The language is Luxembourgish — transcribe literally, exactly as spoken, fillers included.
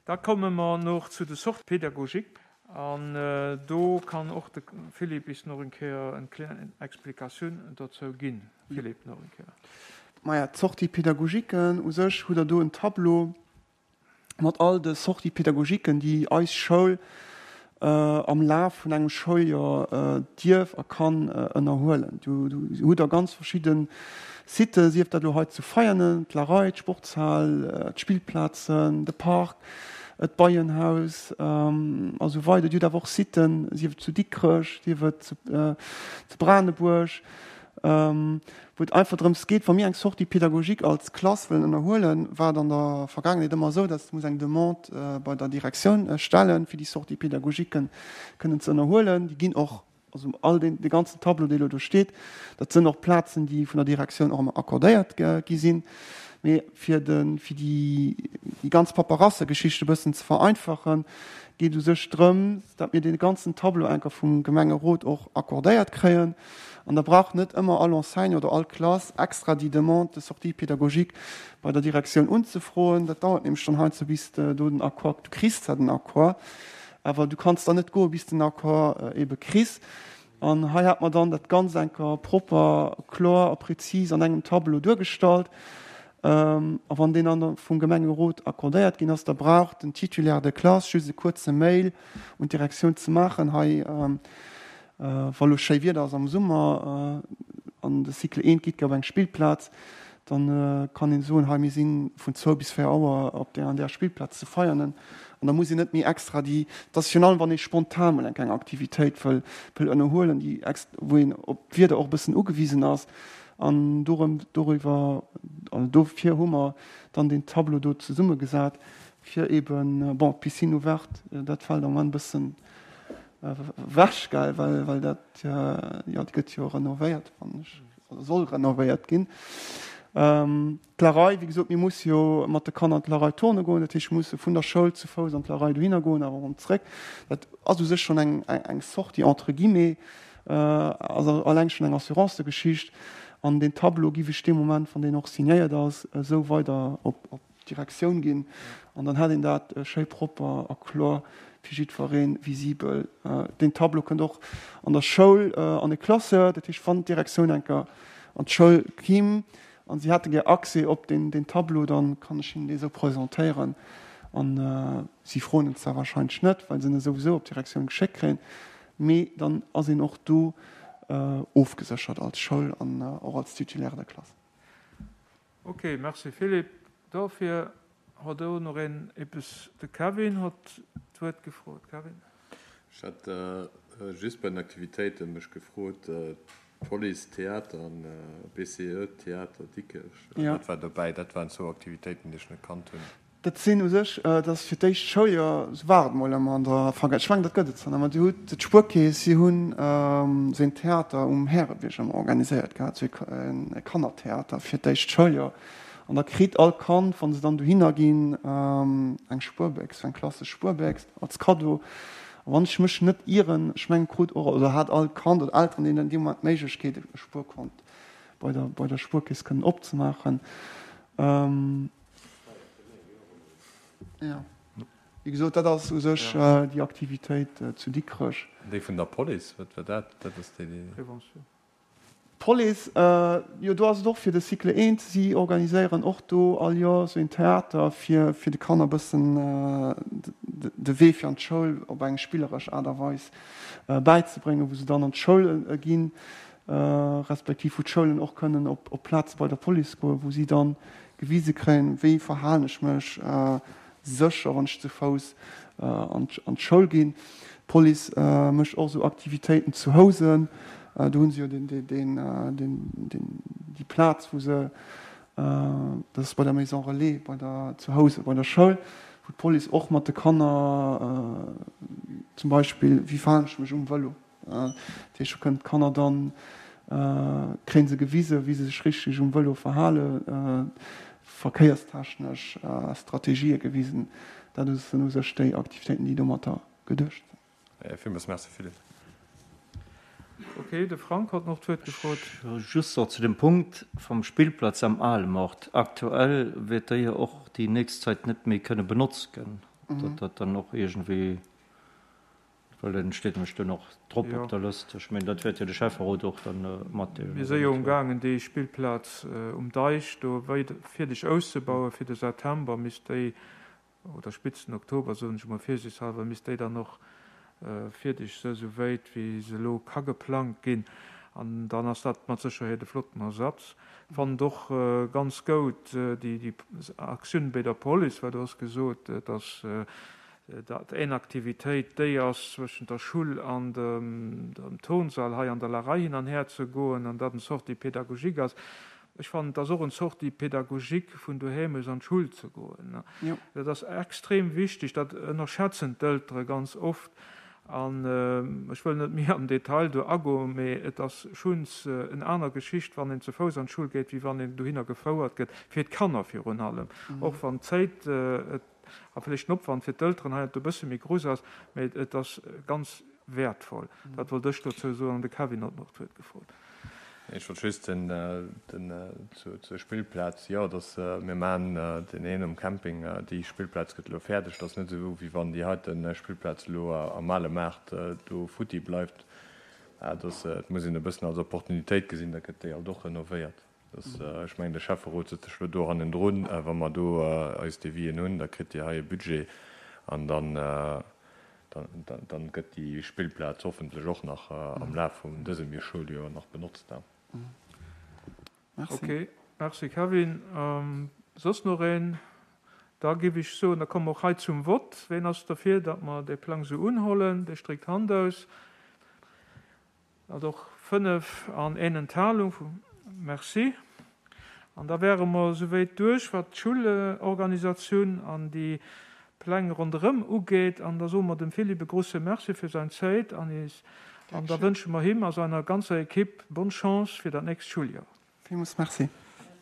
Da komme mer nach zu de Sorties pédagogiques an do kann och de Philippe is nach eng Kéier eng kleng Explikatioun dozou ginn. Philippe, nach eng Kéier. Maja, d'Sorties pédagogiquen, u sech hutt Der do en Tableau mat all de Sorties pédagogiquen, déi eis Schoul am Laf vun engem Schouljoer dierf a kann ënnerhuelen. Do hutt Der ganz verschidde Siten, sief dat elo hei zu Veianen, d'Larei, d'Sportshal, d'Spillplazen, de Park, d'Beienhaus a sou weider. Dir hutt awer och Siten, sief et zu Dikrech, sief et zu Branebuerg, wou et einfach drëms geet, wa mir eng Sortie pédagogique als Klass wëllen ënnerhuelen, war et an der Vergaangenheet ëmmer esou, dass muss eng Demande bei der Direktioun stellen, fir déi Sortie pédagogique kënnen ze ënnerhuelen. Déi ginn och, also all deen, dee ganzen Tableau, dee elo do steet, dat sënn och Plazen, déi vun der Direktioun och ëmmer accordéiert gi sinn. Mee fir de, fir déi, déi ganz Paperassegeschicht e bëssen ze vereinfachen, geet u sech drëm, datt mir dee ganzen Tableau enker vum Gemengerot och accordéiert kréien. An da brauch net ëmmer all Enseignant oder all Klass extra déi Demande de sortie pédagogique bei der Direktioun unzefroen. Dat dauert nämlech dann heiansdo, bis de do den Accord, du kriss zwar den Accord, awer du kanns dann net goen, bis de den Accord ebe kriss. An hei hat mer dann dat Ganzt enker propper, kloer a prezis an engem Tableau duergestallt. A wann deen dann vum Gemengerot accordéiert ginn ass, da brauch den Titulaire de classe just e kuerze Mail un d'Direktioun ze maachen, hei, wa lo schéi Wieder ass am Summer an de Cycle eent geet op eng Spillplaz, dann kann een soen, hei mir si vun zwou bis véier Auer op där an där Spillplaz zu Veianen. An da muss een net méi extra déi, dat ass virun allem wann ee spontan mol eng kleng Aktivitéit wëll wëll ënnerhuelen, déi wou een op d'Wieder och e bëssen ugewisen ass. An dorëm, doriwwer, also dofir hu mer dann deen Tableau do zesummegesat, fir eeben, bon, d'Piscine ouverte, dat fält am Moment e bëssen ewech, gell, well, well dat, jo, déi gëtt jo renovéiert, wann ech, oder soll renovéiert ginn. D'Larei, wéi gesot, mir musse jo mat de Kanner an d'Larei turne goen, dat heescht, mir musse vun der Schoul zu Fouss an d'Larei dohinner goen, awer erëm zréck. Dat ass u sech schonn eng, eng Sortie entre guillemets, ass alleng schonn eng Assurancegeschicht. An deen Tableau giff ech dee Moment, wann deen och signéiert ass, esou weider op d'Direktioun ginn. An dann hätt een dat schéi propper a kloer fir jiddweree visibel. Deen Tableau kënnt och an der Schoul an de Classeur. Dat heescht, wann d'Direktioun eng Kéier an d'Schoul kimm an si hätte gär Accès op deen Tableau, da kann ech hinnen dee sou presentéieren. An si froen en zwar wahrscheinlech net, well se en souwisou op d'Direktioun geschéckt kréien, mee dann ass een och do ofgeséchert als Schoul an och als Titulaire der Klass. Ok, merci Philippe. Dofir hott o noch een eppes. De Kevin hott d'Wuert gefrot. Kevin. Ech hat just bei den Aktivitéiten mech gefrot, Police Theater an B C E Theater Dikrech, wat war dobäi? Dat waren zwou Aktivitéiten, déi ech net kannt hunn. Dat sinn u sech, dat ass fir d'éischt Schouljoer, esou war et mol ëmmer an der Vergaangenheet, ech mengen, dat gëtt et zwar nach, mä Dir hutt d'Spuerkeess, si hunn esou een Theater um Härebierg ëmmer organiséiert gehat, esou e Kannertheater fir d'éischt Schouljoer. An da kritt all Kand, wa se dann dohinner ginn, eng Spuerbéchs, eng klassesch Spuerbéchs als Kaddo. A wann ech mech net ieren, ech mengen, krut och, oder hat all Kand oder Elteren deenen dee Moment d'Méiglechkeet, e Spuerkont bei der, bei der Spuerkeess kënnen opzemaachen. Wéi gesot, dat ass u sech déi Aktivitéit zu Dikrech. Déi vun der Police, wat war dat? Dat ass déi, déi. Prévention. D'Police, jo, do ass et och fir de Cycle eent. Si organiséieren och do all Joer esou een Theater, fir fir de Kanner e bëssen de Wee fir an d'Schoul op eng spilleresch Aart a Weis bäizebréngen, wou se dann an d'Schoul ginn, respektiv wou d'Schoulen och kënnen op Plaze bei der Police goen, wou si dann gewise kréien, wéi verhalen ech mech sécher, wann ech zu Fouss an d'Schoul ginn. D'Police mécht och esou Aktivitéiten zu Housen. Do hu se jo déi Plaz, wou se, dat ass bei der Maison Relais, bei der, zu Housen bei der Schoul, wou d'Police och mat de Kanner zum Beispill, wéi verhalen ech mech um Vëlo, Dat heescht, do kënnen d'Kanner dann, kréie se gewisen, wéi se sech richteg um Vëlo verhalen, verkéierstechnesch Strategië gewisen. Dat sinn u sech déi Aktivitéiten, déi domatter geduecht sinn. Villmools Merci, Philippe. Ok, de Frank hat nach d'Wuert gefrot. Just nach zu dem Punkt vum Spillplatz am Alemort. Aktuell wäert déi jo och déi nächst Zäit net méi kënne benotzt ginn. Datt dat dann och iergendwéi, well en steet nämlech do nach drop op der Lëscht. Ech mengen, dat wäert jo de Schäfferot och dann matdeelen. Mir si jo umgaangen, déi Spillplaz um Deich do weider fierdeg auszebauen. Fir de September misst déi, oder spéitstens Oktober, soen ech emol virsiichtshalber, misst déi dann och fierdeg se sou wéit wéi se elo ka geplangt ginn. An dann ass dat mat Sécherheet e flotten Ersatz. Fannen et och ganz goud déi Aktioun béi der Police, well du has gesot, dass dat éen Aktivitéit déi ass, zwëschent der Schull an dem Turnsall hei an der Larei hin an her ze goen, an dat en Sortie pédagogique ass. Ech fannen, et ass och en Sortie pédagogique vun doheem aus an d'Schull ze goen. Dat ass extrem wichteg, dat ënnerschätzen d'Eltere ganz oft. An ech wëll net méi am Detail do agoen, mee et ass schuns en aner Geschicht, wann een ze Fouss an d'Schull geet, wéi wann een dohinner gefouert gëtt, fir d'Kanner virun allem, och wann d'Zéit a vläicht den Opwand fir d'Elteren heiansdo e bësse méi grouss ass, mee et ass ganz wäertvoll. Dat wollt ech dozou soen an de Kevin hat nach d'Wuert gefrot. Ech wollt just den, den, zur Spillplaz, jo, dass mir maachen deen een um Camping, déi Spillplaz gëtt elo fäerdeg. Dat ass net esou, wéi wann déi heite Spillplaz elo am ale Maart do futti bleift. Dat ass, et muss een e bëssen als Opportunitéit gesinn, da gëtt déi alt och renovéiert. Dass, ech mengen, de Schäfferot sëtzt sech elo do hannendrun. Wa mer do eis Devisen hunn, da kritt Dir hei e Budget an dann, dann gëtt déi Spillplaz hoffentlech och nach am Laf vun dësem Schouljoer nach benotzt. Merci. Ok, merci Kevin. Soss nach een? Da géif ech soen, da komme mer och hei zum Vott. Ween ass derfir, datt mer dee Plang esou unhollen? Dee stréckt d'Hand aus. Dat och fënnef an een Enthalung. Merci. An da wäre mer souwäit duerch, wat d'Schoulorganisatioun an déi Pläng ronderëm ugeet. An da soe mer dem Philippe e grouse Merci fir säin Zäit an is, an da wënsche mer him a seiner ganzer Equipe bonne Chance fir dat nächst Schouljoer. Villmools Merci.